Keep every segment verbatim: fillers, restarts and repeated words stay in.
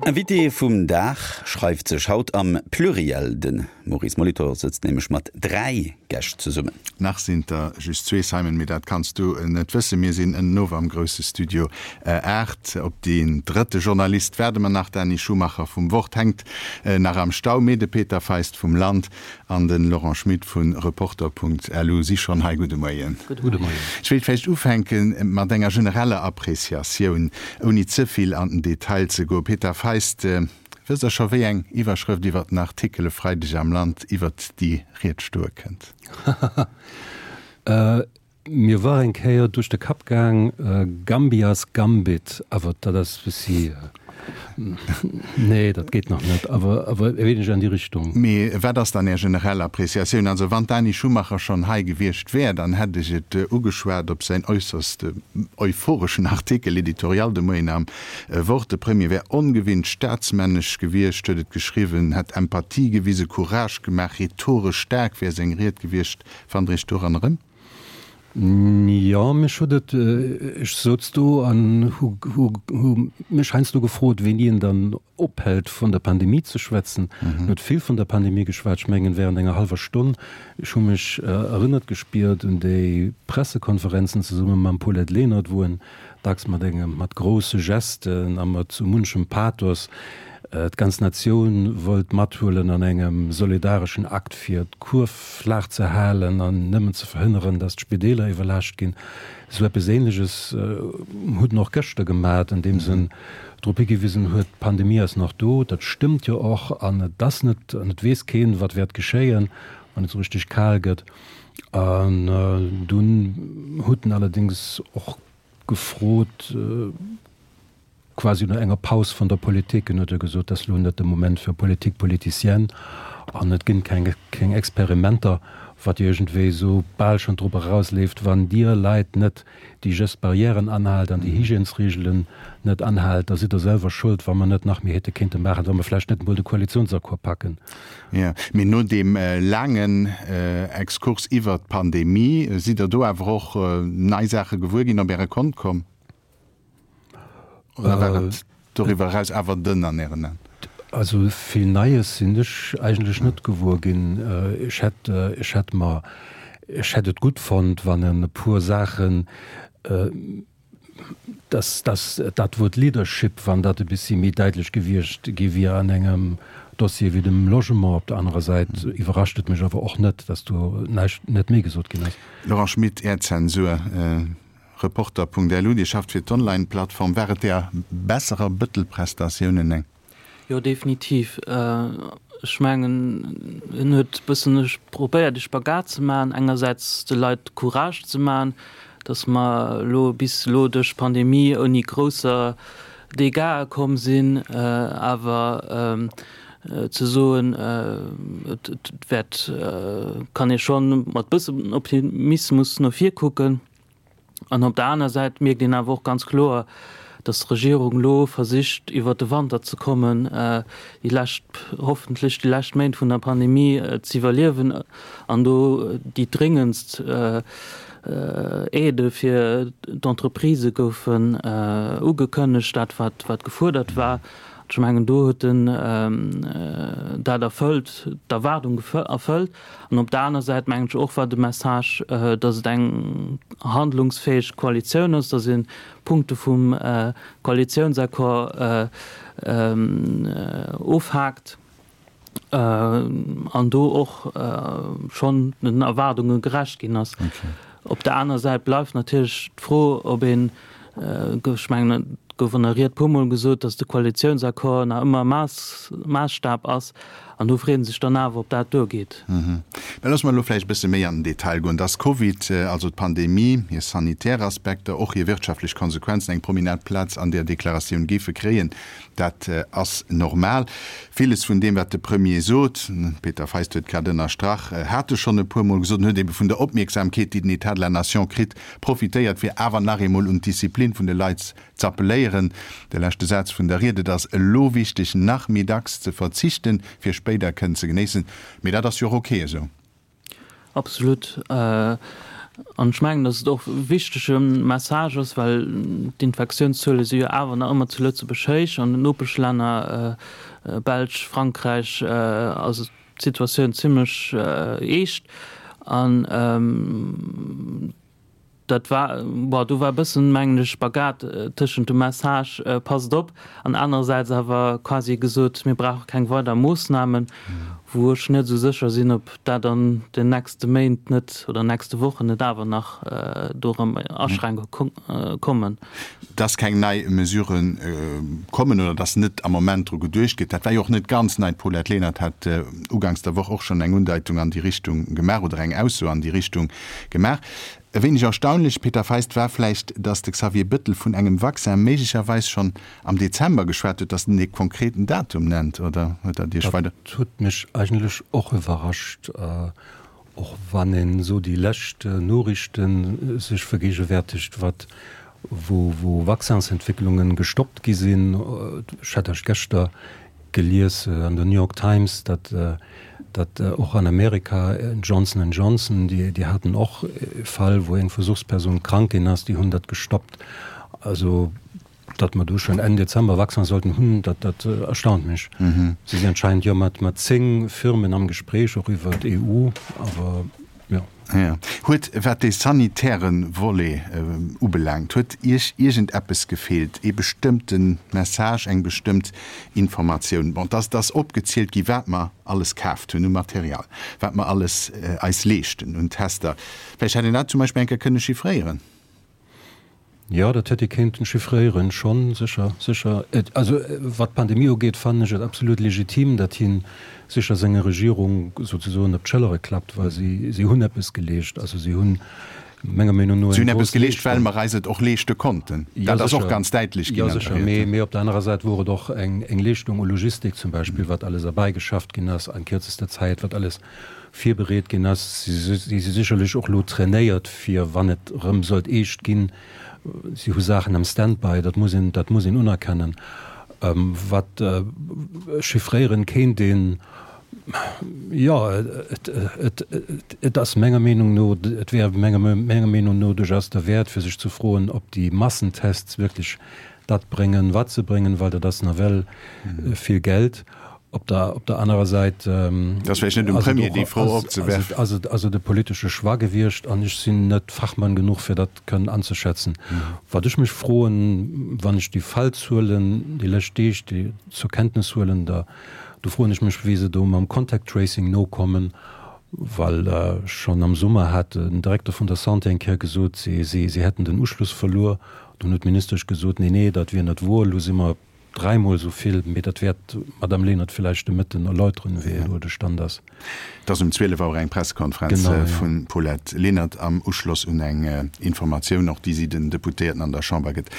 Invité vum Dag schreift sech haut am Pluriel. De Maurice Molitor sëtzt nämlech mat dräi Gäscht zesummen. Nach sinn der just zwee, Simon, mee dat kanns du net wëssen. Mir sinn ënnenower am grousse Studio aacht. Op deen drëtte Journalist waarde mer nach. D'Dani Schumacher vum Wort hänkt nach am Stau, mee de Peter Feist vum Land an de Laurent Schmit vu Reporter.lu si schonn hei. Gudde Moien. Gudde Moien. Ech wéilt vläicht ufänke mat enger genereller Appreciatioun, ouni ze vill an den Detail ze goen. Peter Feist, wësst Der scho wéi eng Iwwerschrëft iwwer den Artikel e Freideg am Land iwwert déi Ried stoe kënnt? Mir war eng Kéier duerch de Kapp gaang, Gambias Gambit, awer dat ass bëssi, nee, dat geet nach net, awer awer e wéineg an déi Richtung. Mee wat ass dann Är generell Appreciatioun? Also wann d'Dani Schumacher schonn hei gewiescht wär, dann hätt ech et ugeschwat op säin äusserst euphoreschen Artikel, Editorial de Moien am Wort. De Premier wär ongewinnt staatsmännesch gewiescht, huet et geschriwwen, hätt Empathie gewisen, Courage gemaach, rhetoresch staark wär seng Ried gewiescht. Fannt Der Iech doran erëm? Jo, mech huet et, ech souz do an hu hu mech heiansdo gefrot, wéini en dann ophält vun der Pandemie ze schwätzen. En huet vill vun der Pandemie geschwat, ech mengen während enger hallwer Stonn. Ech hu mech erënnert gespiert un déi Pressekonferenzen zesumme mam Paulette Lenert, wou en dacks mat engem, mat grousse Gesten a mat sou munchem Pathos d'ganz Natioun wollt mathuelen an engem solidareschen Akt fir d'Kurv flaach ze halen an nëmmen ze verhënneren, datt d'Spideeler iwwerlaascht ginn. Esou eppes Ähnleches huet en och gëschter gemat, andeems en drop higewisen huet, d'Pandemie ass nach do. Dat stëmmt jo och an et ass net, an et weess keen, wat wäert geschéien, wann et esou richteg kal gëtt. An dunn huet en allerdéngs och gefrot, quasi no enger Paus vun der Politik, en huet jo gesot, dat ass elo net de Moment fir Politique politicienne an et ginn keng keng Experimenter, wat jo iergendwéi esou bal schonn drop erausleeft, wann Dir Leit net déi Gestes barrièren anhaalt an déi Hygiènesregelen net anhaalt, da sidd Der selwer schuld, wa mer net nach méi hätte kéinte maachen, wa mer vläicht net emol de Koalitionsaccord packen. Jo, mee no deem laangen Exkurs iwwert d'Pandemie, sidd Der do awer och nei Saache gewuer ginn, op Äre Kont komm? Oder war et doriwwer eraus awer dënn an Ären Aen? Also vill Neies sinn ech eigentlech net gewuer ginn. Ech hätt, ech hätt mer, ech hätt et gutt fonnt, wann en e puer Saachen, dass, dass dat Wuert Leadership, wann dat e bessi méi däitlech gewiescht gi wier an engem Dossier wéi dem Logement. Op der anerer Säit iwwerrascht et mech awer och net, dass do näischt, net méi gesot ginn ass. Laurent Schmit, Är Zensur. Reporter.lu, Dir schafft fir d'Online-Plattform. War et där besserer Bëttel-Prestatiounen eng? Jo, definitiv. Ech mengen, en huet e bëssen probéiert, e Spagat ze maachen, engersäits de Leit Courage ze maachen, datt mer elo bis elo duerch d'Pandemie ouni grousser Dégâtsë komm sinn, awer ze soen, et wäert, kann ee scho mat bëssen Optimismus no vir kucken. An op der aner Säit mierkt een awer och ganz kloer, datt d'Regierung elo versicht, iwwert de Wanter ze kommen, déi lescht, hoffentlech déi lescht Méint vun der Pandemie z'iwwerliewen an do déi dréngendst Aidë fir d'Entreprisë goufen ugekënnegt, dat wat wat gefuerdert war. Ech mengen, do huet en dat erfëllt, d'Erwaardung erfëllt. An op der aner Säit, mengen ech och, war de Message, datt et eng handlungsfäeg Koalitioun ass, datt ee Punkte vum Koalitiounsaccord ofhaakt an do och schonn den Erwaardunge gerecht ginn ass. Op der aner Säit bleift natierlech d'Fro, ob een, ech mengen, et gouf an der Ried puermol gesot, datt de Koalitiounsaccord nach ëmmer Maassstab ass, an do freet ee sech dann awer, ob dat duergeet. Mä loosse mer elo vläicht e bësse méi an den Detail goen. Dass Covid, also d'Pandemie, hir sanitär Aspekter, och hir wirtschaftlech Konsequenzen eng prominent Plaz an där Deklaratioun géife kréien, dat ass normal. Villes vun deem, wat de Premier sot, Peter Feist huet grad ënnerstrach, hat e schonn e puermol gesot en huet ebe vun der Opmierksamkeet, déi den État de la Nation kritt, profitéiert, fir awer nach eemol un d'Disziplin vun de Leit z'appelléieren. De leschte Saz vun der Ried, Et ass elo wichteg, nach méi dacks ze verzichten, fir spéider kënnen ze genéissen. Mee dat ass jo och ok esou. Absolut. An ech mengen, datt et och e wichtege Message ass, well d'Infektiounszuele si jo awer nach ëmmer zu Lëtzebuerg héich. An den Nopeschlänner, Belsch, Frankräich, ass d'Situatioun zimlech eescht. An dat war, bon, do war e bëssen, mengen ech, Spagat tëschent dem Message, passt op, an anerersäits awer quasi gesot, mir brauche keng weider Moossnamen, wou ech net esou sécher sinn, ob dat an den nächste Méint net oder nächste Wochen net awer nach do erëm Aschränkunge kommen. Dass keng nei Mesurë kommen oder dass net am Moment dru geduecht gëtt, dat war jo och net ganz nei. D'Paulette Lenert hat uganks der Woch och schonn eng Undeitung an déi Richtung gemaach oder eng Ausso an déi Richtung gemaach. E wéineg erstaunlech, Peter Feist, war vläicht, datt de Xavier Bëttel vun engem Vaccin méiglecherweis schonn am Dezember geschwat huet, datt en ee konkreten Datum nennt, oder huet dat Iech weider. Dat huet mech eigentlech och iwwerrascht, och wann een esou déi lescht Noriichte sech vergegenwärtigt, wat wou wou Vaccinsentwicklungen gestoppt gi sinn. Ech hat erscht geschter gelies an der New York Times, datt datt och an Amerika Johnson and Johnson, déi déi haten och e Fall, wou eng Versuchsperson krank ginn ass, déi hunn dat gestoppt. Also datt mer do schonn Enn Dezember Vaccin sollten hunn, dat dat erstaunt mech. Si si anscheinend jo mat mat zéng Firmen am Gespréich, och iwwer d'E U, awer jo. Jo. Huet, wat dee sanitäre Volet ubelaangt, huet Iech iergendeppes gefeelt, ee bestëmmte Message, eng bestëmmt Informatioun? Bon, et ass opgezielt gi wat mer alles kaaft hunn u Material, wat mer alles eis leeschten un Tester. Vläicht hätt een dat zum Beispill eng Kéier kënne chiffréieren. Jo, dat hätt ee kéinten chiffréieren, schonn, sécher, sécher. Et, also wat d'Pandemie ugeet, fannen ech et absolut legitim, datt hien sécher senger Regierung souzesoen op d'Schëllere klappt, well si, si hunn eppes geleescht. Also si hunn menger Meenung no Si eng hunn eppes grouss geleescht, well Leeschtung. mer eis et och leeschte konnten. Jo, Dat ass och sécher, ganz däitlech jo, ginn an der sécher. Ried. Mee, mee op der anerer Säit wor et och eng, eng Leeschtung u Logistik zum Beispill, wat alles erbäigeschafft ginn ass an kierzester Zäit, wat alles virbereet ginn ass. Si si sécherlech och elo trainéiert, fir wann et erëm sollt eescht ginn. Si hu Saachen am Standby, dat muss een, dat muss een unerkennen. Wat chiffréieren kéint een, jo, et, et, et ass menger Meenung no, et wär menger, menger Meenung no duerchaus derwäert, fir sech ze froen, ob déi Massentests wierklech dat bréngen, wat se bréngen, well dat ass nawell vill Geld. Op der, op der anerer Säit Et ass vläicht net um ass et Premier, och, déi Fro ass, ass opzewerfen. et, ass et, ass et e politesche Choix gewiescht an ech sinn net Fachmann genuch, fir dat kënnen anzeschätzen. Wat ech mech froen, wann ech déi Fallzuelen déi lescht Deeg, déi zur Kenntnis huelen, da, do froen ech mech, wéi se do mam Contact Tracing nokommen, well schonn am Summer hat den Direkter vun der Santé eng Kéier gesot, si, si, si hätten den Uschluss verluer. Dunn huet d'Ministesch gesot, nee, nee, dat wier net woer, elo si mer Dräimol esou vill, mee dat wäert d'Madame Lenert villäicht de Mëtten erläuteren, wéi elo de Stand ass. Et ass um zwielef Auer eng Pressekonferenz vum Paulette Lenert am Uschloss un eng Informatioun och, déi si den Deputéierten an der Chamber gëtt.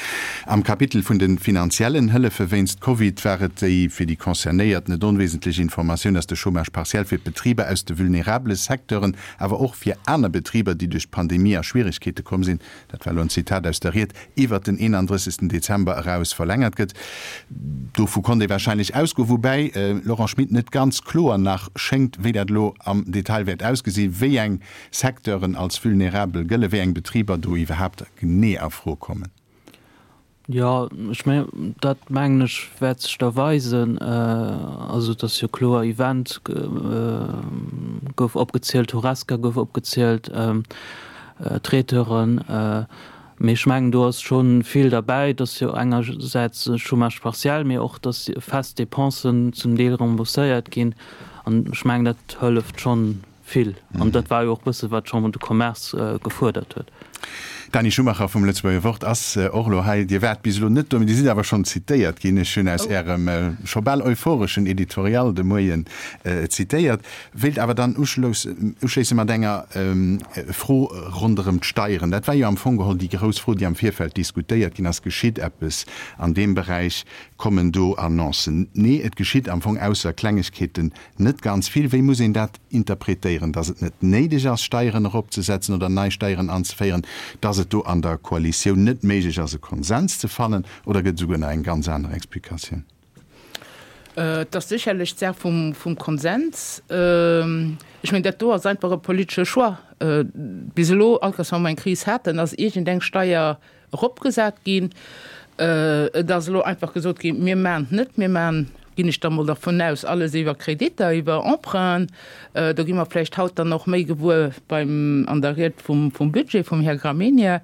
Am Kapitel vun de finanziellen Hëllefe wéinst Covid war et déi fir déi Concernéiert net onwesentlech Informatioun, dass de Chômage partiel fir d'Betriber aus de vulnerabele Secteuren, awer och fir aner Betriber, déi duerch d'Pandemie a Schwieregkeete komm sinn, dat war elo en Zitat aus der Ried, iwwert den eenandrëssegsten Dezember eraus verlängert gëtt. Dovu konnt ee warscheinlech ausgoen, woubäi, Laurent Schmit, net ganz kloer nach schéngt, wéi dat elo am Detail wäert ausgesinn, wéi eng Secteuren als vulnerabel gëllen, wéi eng Betriber do iwwerhaapt genee a Fro kommen. Jo, ech mengen, dat mengen ech wäert sech da weisen. Also et ass jo kloer, Event gouf opgezielt, Horesca gouf opgezielt, Traiteuren. Mee ech mengen, do ass scho vill derbäi. Et ass jo engersäits Chômage partiel, mee och, datt fest Dépensen zum Deel rembourséiert ginn. An ech mengen, dat hëlleft schonn vill. An dat war jo och e bësse wat d'Chambre de Commerce gefuerdert huet. D'Dany Schumacher vum Lëtzebuerger Wort ass och elo hei. Dir waart bis elo net do, mee Dir sidd awer schonn zitéiert ginn. Ech hunn aus Ärem scho bal euphoreschen Editorial de Moien zitéiert. Wéilt awer dann uschléisse mat enger Fro ronderëm d'Steieren. Dat war jo am Fong geholl déi grouss Fro, déi am Virfeld diskutéiert ginn ass. Geschitt eppes an deem Beräich? Kommen do Annoncen? Nee, et geschitt am Fong ausser Klengegkeeten net ganz vill. Wéi muss een dat interpretéieren? Dass et net néideg ass, Steieren eropzesetzen oder nei Steieren anzeféieren? Dass et do an der Koalitioun net méiglech ass, e Konsens ze fannen? Oder gëtt et esouguer nach eng ganz aner Explikatioun? Et ass sécherlech d'Saach vum, vum Konsens. Ech mengen, dat do ass einfach e politesche Choix. Bis elo, all Kéiers wa mer eng Kris haten, ass iergendeng Steier eropgesat ginn. Et ass elo einfach gesot ginn, mir maachen et net, mir maachen, ginn ech da mol dervun aus, alles iwwer Kreditter, iwwer Emprunten. Do gi mer vläicht haut dann och méi gewuer beim, an der Ried vum, vum Budget vum Här Gramegna.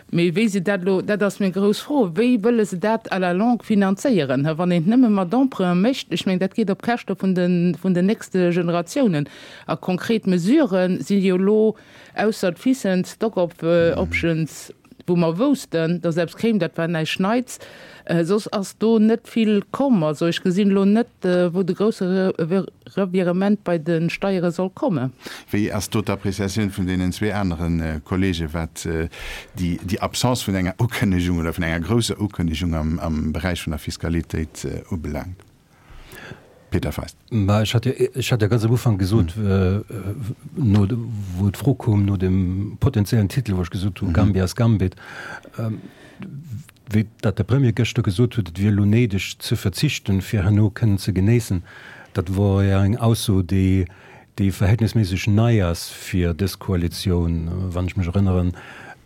Mee wéi se dat elo, dat ass meng grouss Fro, wéi wëlle se dat à la longue finanzéieren, wann een et nëmme mat Emprunte mécht? Ech mengen, dat geet op Käschte vun de, vun den nächste Generatiounen. A konkret Mesurë si jo elo, ausser d'FISen, d'Stock options, wou mer woussten, datt eppes kéim, dat war näischt Neits, soss ass do net vill komm. Also ech gesinn elo net, wou de grousse Revirement bei de Steiere soll kommen. Wéi ass do d'Appréciatioun vun deenen zwee anere Kollege wat déi Absence vun enger Ukënnegung oder vun enger grousser Ukënnegung am Beräich vun der Fiskalitéit ubelaangt? Peter Feist. Mä ech hat jo, ech hat jo ganz am Ufank gesot, no, wou d'Fro koum no dem potenziellen Titel, wou ech gesot hu Gambia's Gambit, wéi dat de Premier gëschter gesot huet, et wier elo néideg ze verzichten, fir herno kënnen ze genéissen, dat wor jo eng Ausso, déi, déi verhältnisméisseg nei ass fir dës Koalitioun. Wann ech mech erënneren,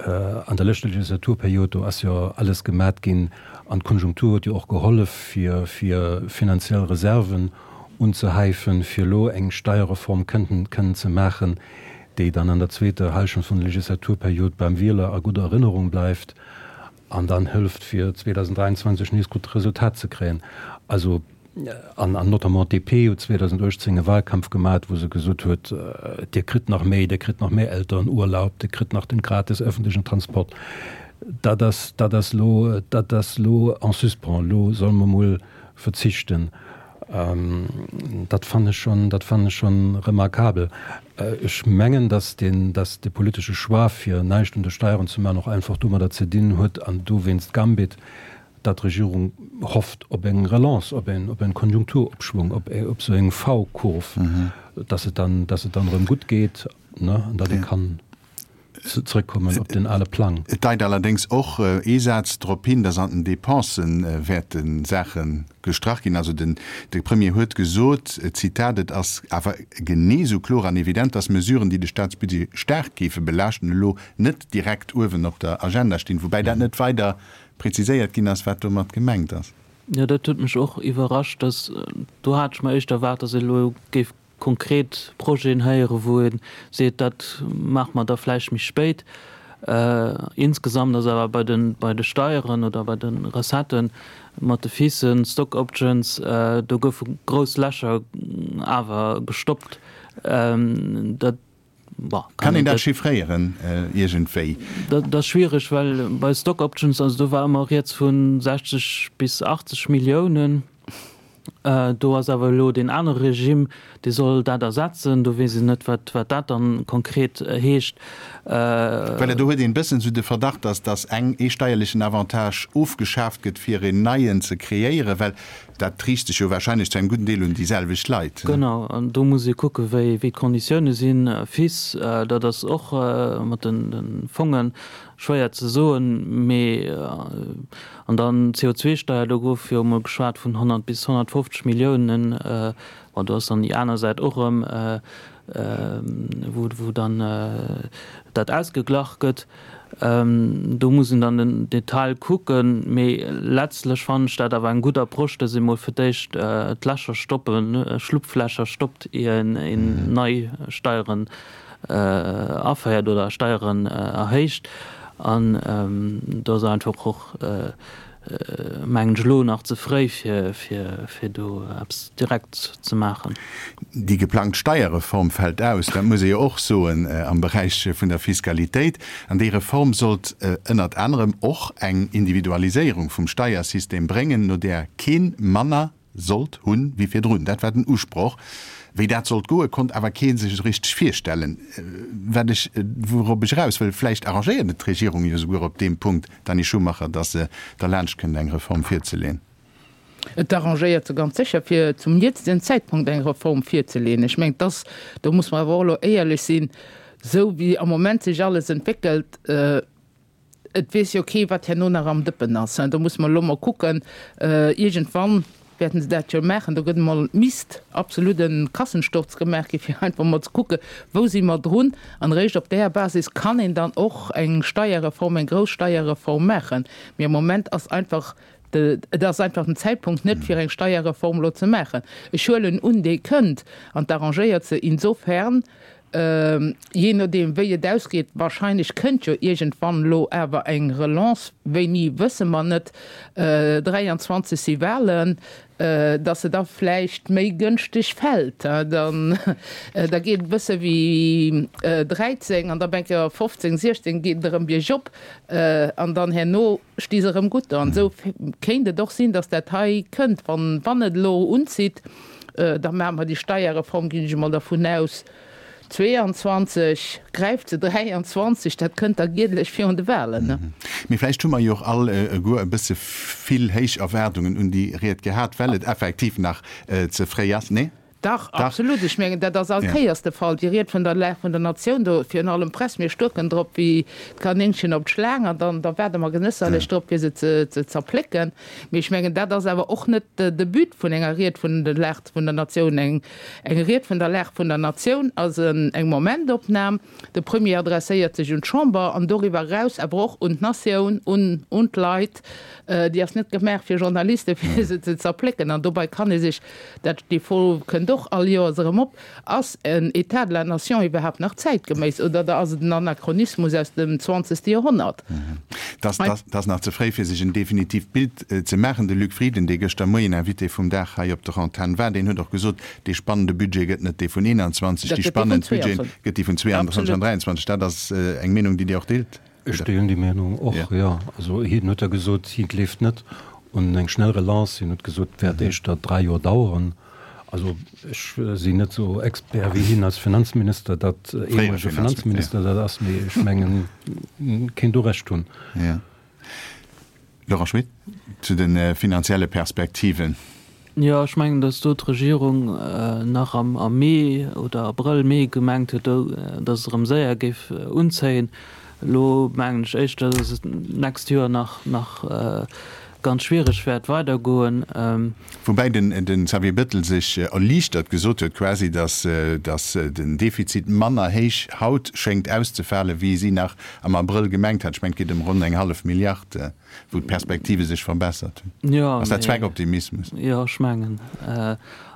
an der leschter Legislaturperiod, do ass jo alles gemat ginn an d'Konjunktur huet jo och gehollef, fir, fir finanziell Reserven unzehäifen, fir elo eng Steierreform kënnten, kënnen ze maachen, déi dann an der zweeter Hallschent vun der Legislaturperiod beim Wieler a gudder Erënnerung bleift an dann hëlleft, fir zweedausenddräianzwanzeg nees gutt Resultat ze kréien. Also, an, an notamment d'DP huet zweedausenduechtzéng e Wahlkampf gemat, wou se gesot huet, Dir kritt nach méi, Dir kritt nach méi Elterenurlaub, Dir kritt nach den gratis öffentlichen Transport. Dat ass, dat ass elo, dat ass elo en suspens, elo solle mer mol verzichten. Dat fannen ech schonn, dat fannen ech schonn remarkabel. Ech mengen, dass deen, dass de politesche Choix, fir näischt un de Steieren ze maachen, och einfach domadder ze dinn huet, an dowéinst Gambit, datt d'Regierung hofft op eng Relance, op en, op en Konjunkturopschwung, op, op esou eng V-Kurv, dass et dann, dass et dann erëm gutt geet, ne, an datt ee kann zrëckkommen op den ale Plang. Et deit allerdéngs och ee Saz drop hin, dass an den Dépense wäerte Saache gestrach ginn. Also den, de Premier huet gesot, Zitat, Et ass awer genee esou kloer an evident, dass Mesuren, déi de Staatsbudget staark géife belaaschten, elo net direkt uewen op der Agenda stinn. Woubäi dat net weider preziséiert ginn ass, wat domat gemengt ass. Jo, dat huet mech och iwwerrascht, dass, do hat ech mer éischter erwaart, dass ee elo géif konkret Projeten héieren, wou ee seet, dat maache mer da vläicht méi spéit. Insgesamt ass awer bei de, bei de Steieren oder bei de Recetten mat de FISen, Stock Options, do goufe grouss Lächer awer gestoppt. Dat Kann een dat chiffréieren iergendwéi? Dat ass schwiereg, well bei Stock Options, also do war ëmmer rieds vu sechzeg bis achtzeg Milliounen. Do ass awer elo deen anere Regime, dee soll dat ersetzen. Do weess een net, wat dat dann konkret heescht. Well do huet een e bëssen esou de Verdacht, dass dass eng ee steierlechen Avantage ofgeschaaft gëtt, fir een neien ze kreéieren, well dat riicht sech jo wahrscheinlech zu engem gudden Deel un déi selwecht Leit. Genau, an do muss ee kucken, wéi d'Konditioune sinn. Fis, dat ass och mat de Fonge schwéier ze soen, mee an dann d'C O zwei Steier, do gouf jo emol geschwat vun honnert bis honnertfofzeg Milliounen. Bon, do ass dann déi aner Säit och erëm, wou dann dat ausgeglach gëtt. Do muss een dann den Detail kucken, mee letztlech fannen ech dat awer eng gutt Approche, dass ee mol fir d'éischt d'Lächer stoppen, Schlupflächer stoppt, ier een nei Steieren aféiert oder Steieren erhéicht. An do ass einfach och, mengen ech, elo nach ze fréi, fir do eppes direkt ze maachen. Déi geplangt Steierreform fält aus, dat muss ee jo och soen, am Beräich vun der Fiskalitéit. An déi Reform sollt ënnert anerem och eng Individualiséierung vum Steiersystem bréngen, no där kee manner sollt hunn wéi virdrun. Dat war den Usproch. Wéi dat sollt goen, konnt awer kee sech esou richteg virstellen. Wat ech, wourop ech eraus wëll, vläicht arrangéiert et d'Regierung jo esouguer op deem Punkt, Dany Schumacher, datt se derlaanscht kënnt eng Reform virzeleeën. Et arrangéiert se ganz sécher, fir zum jetzigen Zäitpunkt eng Reform virzeleeën. Ech mengen, dass, do muss mer awer och elo éierlech sinn, esou wéi am Moment sech alles entwéckelt, et weess jo kee wat herno nach am Dëppen ass. Do muss mer elo mol kucken, iergendwann wäerten se dat jo maachen. Do gëtt emol, misst absolut e Kassensturz gemaach gi fir einfach emol ze kucke wou si mer drun. An eréischt op där Basis kann een dann och eng Steierreform, eng grouss Steierreform maachen. Mee am Moment ass einfach de, et ass einfach den Zäitpunkt net fir eng Steierreform elo ze maachen. Ech huelen un, déi kënnt an d'arrangéiert se insofern, jee nodeem wéi et ausgeet, wahrscheinlech kënnt jo iergendwann elo awer eng Relance, wéini wësse mer net, dräianzwanzeg si Wahlen, datt se da vläicht méi gënschteg fält, dann da geet et e bësse wéi dräizéng an da op eng Kéier fofzéng, siechzéng geet et erëm biergop an dann herno sti se erëm gutt do. An esou kéint et och sinn, datt dat hei kënnt, wann wann et elo unzitt, da maache mer déi Steierreform, ginn ech emol dervun aus, zweeanzwanzeg, gräift se dräianzwanzeg, dat kënnt da giedlech virun de Wahlen, ne? Mee vläicht hu mer jo och all eguer e bësse vill héich Erwaardungen un déi Ried gehat, well et effektiv nach ze fréi ass, nee? Dach, absolut. Ech mengen, dat ass all Kéiers de Fall. Déi Ried vun der Lag vun der Natioun do, virun allem d'Press, mir stuerken drop wéi d'Kanéngchen op d'Schlaang an dann da waarde mer genësserlech drop, fir se ze zerplécken. Mee ech mengen, dat ass awer och net de But vun enger Ried vun der Lag vun der Natioun. Eng Eng Ried vun der Lag vun der Natioun ass eng Momentopnam. De Premier adresséiert sech un d'Chamber an doriwwer eraus awer och un d'Natioun, un un d'Leit. Déi ass net gemaach fir Journalisten, fir se ze zerplécken. An dobei kann ee sech, dat déi Fro kënnt och all Joers erëm op, Ass en État de la nation iwwerhaapt nach zäitgeméiss oder ass et en Anachronismus aus dem zwanzegste Joerhonnert? Dat ass nach ze fréi, fir sech en definitiivt Bild ze maachen. De Luc Frieden, dee gëschter Moien Invité vum Dag hei op der Antenn war, deen huet och gesot, dee spannende Budget gëtt net dee vun eenanzwanzeg, déi spannend Budgete gëtt déi vun zweeanzwanzeg an dräianzwanzeg. Dat ass eng Meenung, déi Dir och deelt? Ech deelen déi Meenung och, jo. Also hien huet jo gesot, hie gleeft net un eng schnell Relance. Hien huet gesot, et wäert éischter dräi Joer daueren. Also ech sinn net esou Expert wéi hien als Finanzminister, dat ehemolege Finanzminister dat ass, mee ech mengen, en kéint do Recht hunn. Laurent Schmit, zu de finanzielle Perspektiven. Jo, ech mengen, datt do d'Regierung nach am Mee oder Abrëll, Mee gemengt huet, datt et erëm séier géif unzéien. Elo mengen ech éischter, datt et d'nächst Joer nach ganz schwiereg wäert weidergoen. Woubäi den Xavier Bettel sech erliichtert gesot huet quasi, datt den Defizit manner héich haut schéngt auszefalen, wéi si nach am Abrëll gemengt hat. Ech mengen, et geet ëm ronn eng hallef Milliard, wou d'Perspektive sech verbessert hunn. Ass dat Zweckoptimismus? Jo, ech mengen.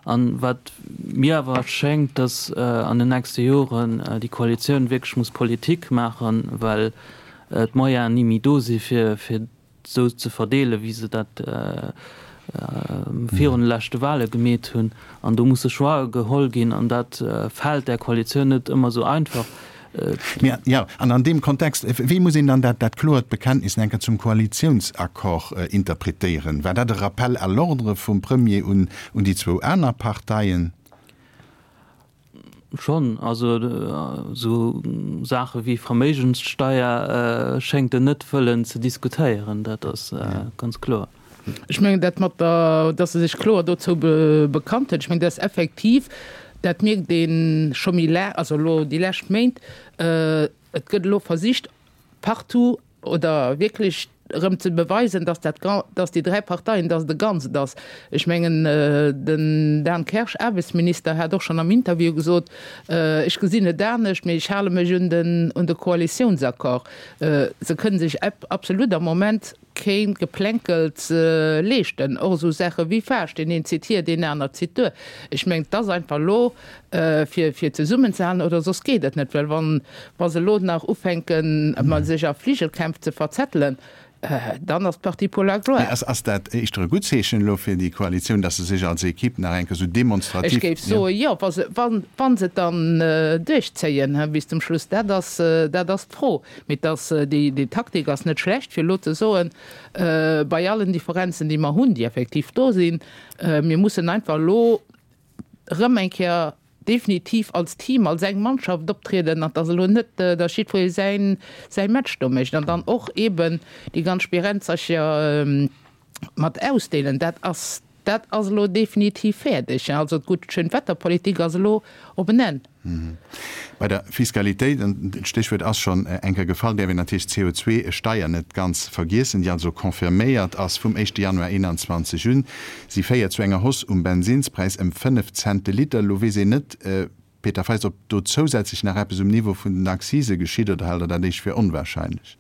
An wat mir awer schéngt, datt an den nächste Joren déi Koalitioun wierklech muss Politik maachen, well d'Moyenen ni méi do si fir esou ze verdeelen, wéi se dat virun de leschte Wahle gemeet hunn. An do musse Choixë geholl ginn, an dat fält där Koalitioun net ëmmer esou einfach. Mä jo, an an deem Kontext, wéi muss een dann dat, dat kloert Bekenntnis enker zum Koalitiounsaccord interpretéieren? War dat e Rappel à l'ordre vum Premier un, un déi zwou aner Parteien? Schonn. Also esou Saache wéi Verméigenssteier schéngt en net wëllen ze diskutéieren, dat ass ganz kloer. Ech mengen dat mat der, datt e sech kloer dozou bekannt huet, ech mengen dat ass effektiv, dat mierkt ee scho méi laang, also elo déi lescht Méint, et gëtt elo versicht partout oder wierklech erëm ze beweisen, datt dat, datt déi dräi Parteien, datt et e Ganzt ass. Ech mengen, den Dan Kersch, Aarbechtsminister, hat och schonn am Interview gesot, ech gesinn et anescht, mee ech hale mech un den, un de Koalitiounsaccord. Se kënne sech absolut am Moment kee Geplänkels leeschten, och esou Saache wéi Faascht, deen een zitt hier, deen aner zitt duer. Ech mengen, et ass einfach elo fir, fir zesummenzehalen oder soss geet et net, well wann, wa se elo nach ufänken, sech a Fligelkämpf ze verzettelen, dann ass d'Partie pour la gloire. Mee ass, ass dat éischter e gutt Zeechen elo fir déi Koalitioun, datt se sech als Equipe nach eng Kéier esou demonstrativ. Ech géif soe jo, wa se, wa, wa se et dann duerchzéien bis zum Schluss, dat ass, dat ass d'Fro. Mee et ass, déi, déi Taktik ass net schlecht, fir elo ze soen, bei allen Differenzen, déi mer hunn, déi effektiv do sinn, mir mussen einfach elo erëm eng Kéier definitiv als Team, als eng Mannschaft optrieden an dass elo net, dass jiddweree säin, säi Match do mécht an dann och eeben déi ganz Spirenzercher mat ausdeelen. Dat ass, Dat ass elo definitiv fäerdeg. Also d'gutt Schönwetterpolitik ass elo op en Enn. Bei der Fiskalitéit, an d'Stéchwuert ass schonn eng Kéier gefall, däerf een natierlech d'C O zwei Steier net ganz vergiessen, déi also confirméiert ass vum éischte Januar eenanzwanzeg un. Si féiert zu enger Hausse um Bensinnspräis ëm fënnef Cent de Liter. Elo weess een net, Peter Feist, ob do zousätzlech nach eppes um Niveau vun den Accise geschitt, oder haalt Der dat éischt fir onwahrscheinlech?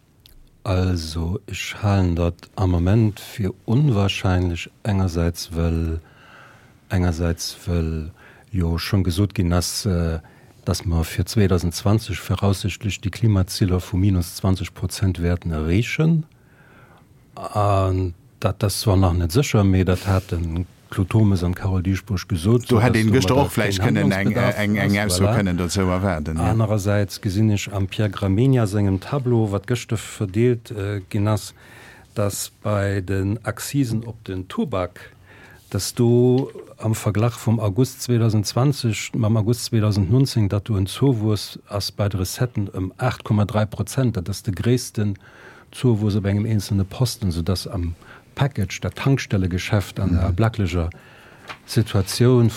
Also ech halen dat am Moment fir onwahrscheinlech, engersäits well engersäits well jo schonn gesot ginn ass, dass mer fir zweedausendzwanzeg voraussichtlech déi Klimazieler vu minus zwanzeg Prozent wäerten erreechen. An dat ass zwar nach net sécher, mee dat hat de Claude Turmes an d'Carole Dieschbourg gesot, Do hätt soudass een gëschter domadder och vläicht keen kënnen eng Handlungsbedarf eng ass. Ausso Voilà. kënnen dozou erwaarden, jo. Anerersäits gesinn ech am Pierre Gramegna sengem Tableau, wat gëschter verdeelt ginn ass, dass bei den Accisen op den Tubak, dass do am Verglach vum August zweedausendzwanzeg mam August zweedausendnonzéng, datt do en Zouwuess ass bei de Recetten ëm aacht Komma dräi Prozent. Dat ass de gréissten Zouwuess op engem eenzelne Posten, soudass am Package dat Tankstellegeschäft an der ablacklecher Situatioun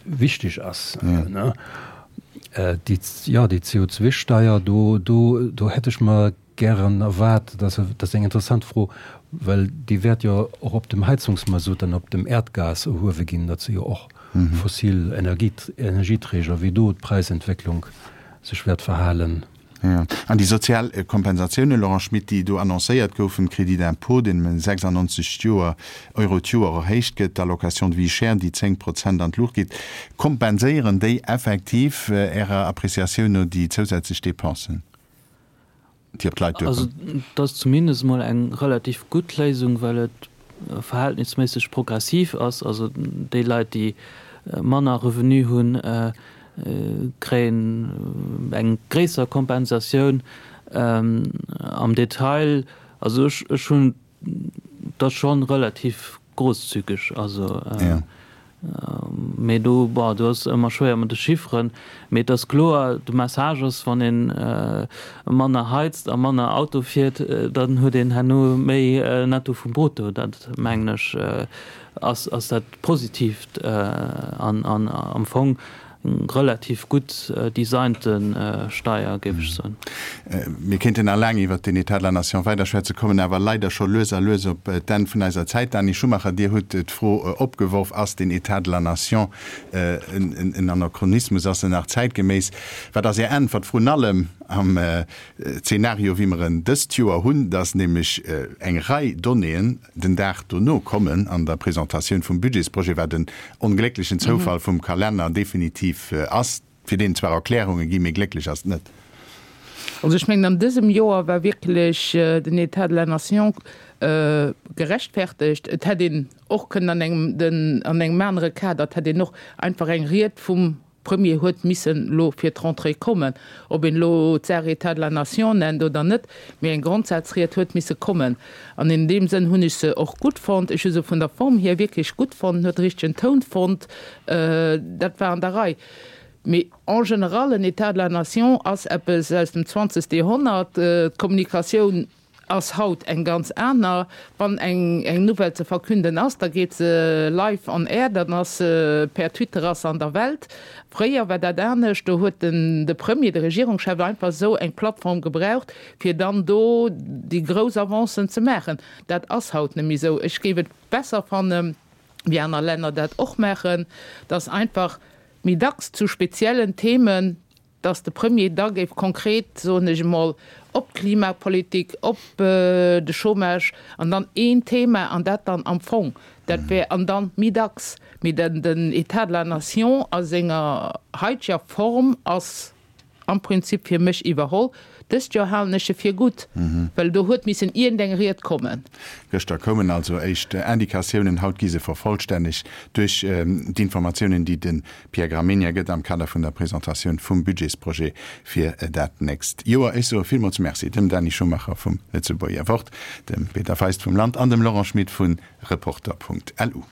wichteg ass. Déi, jo, déi C O zwei Steier, do, do, do hätt ech mer gären erwaart, dat ass eng interessant Fro, well déi wäert jo och op dem Heizungsmasutt an op dem Äerdgas erhuewe ginn, dat si jo och fossil Energieträger, wéi do d'Präisentwécklung sech wäert verhalen. Jo. An déi sozial Kompensatiounen, Laurent Schmit, déi do annoncéiert goufen, Crédit d'impôt, deen ëm sechsannonzeg d'Joer, Euro d'Joer erhéicht gëtt, d'Allocation de vie chère, déi zéng Prozent an d'Luucht geet, kompenséieren déi effektiv Ärer Appréciatioun no déi zousätzlech Dépensen, déi op d'Leit Also duerkommen? et ass zumindest emol eng relativ gutt Léisung, well et verhältnisméisseg progressiv ass. Also déi Leit, déi manner Revenu hunn, kréien eng gréisser Kompensatioun. Am Detail, also ech ech hunn dat schonn relativ großzügig, also mee do, bon, do ass ëmmer schwéier mat de Chifferen, mee et ass kloer, de Message ass, wann ee manner heizt a manner Auto fiert, dann huet een herno méi Netto vum Brutto. Dat mengen ech ass ass dat Positiivt an an am Fong eng relativ gutt designte Steier, géif ech soen. Mir kéinten nach laang iwwert den État de la Nation weiderschwätzen, kommen awer leider scho lues a lues op d'Enn vun eiser Zäit. Dany Schumacher, Dir hutt d'Fro opgeworf, Ass den État de la Nation en Anachronismus, ass en nach zäitgeméiss? Wat ass Är Äntwert, vrun allem am Zeenario, wéi mer en dëst Joer hunn, dass nämlech eng Rei Donnéeën den Dag dono kommen an der Presentatioun vum Budgetsprojet, wat en onglécklechen Zoufall vum Kalenner definitiv ass, fir deen et zwar Erklärunge ginn, mee glécklech ass et net. Also ech mengen, an dësem Joer war wierklech den État de la Nation gerechtfertegt. Et hätt een och kënnen an engem, den, an engem anere Kader, et hätt een och einfach eng Ried vum Premier huet missen elo fir d'Rentrée kommen, ob een elo d'Saach État de la Nation nennt oder net, mee eng Grondsazried huet misse kommen. An in deem Sënn hunn ech se och gutt fonnt. Ech hu se vun der Form hier wierklech gutt fonnt, huet de richtegen Toun fonnt, dat war an der Rei. Mee en général, en État de la Nation ass eppes aus dem zwanzegste Joerhonnert. D'Kommunikatioun ass haut eng ganz aner. Wann eng eng Nouvelle ze verkünden ass, da geet se live on air, dann ass se per Twitter ass se an der Welt. Fréier war dat anescht, do huet den de Premier, de Regierungschef einfach esou eng Plattform gebraucht, fir dann do déi grouss Avancen ze maachen. Dat ass haut net méi esou. Ech géif et besser fannen, wéi aner Länner dat och maachen, dass einfach méi dacks zu speziellen Themen, dass de Premier da géif konkret, soen ech emol, op d'Klimapolitik, op de Chômage an dann een Thema an dat dann am Fong, dat wär, an dann méi dacks. Mee den den État de la Nation a senger haiteger Form ass am Prinzip fir mech iwwerholl. Dëst Joer halen ech e fir gutt, well do huet missen iergendeng Ried kommen. Gëschter koumen also éischt Indikatiounen, haut gi se vervollstännegt duerch d'Informatiounen, déi de Pierre Gramegna gëtt am Kader vun der Presentatioun vum Budgetsprojet fir dat nächst Joer. Ech soe villmools Merci dem Dany Schumacher vum Lëtzebuerger Wort, dem Peter Feist vum Land an dem Laurent Schmit vu Reporter Punkt lu.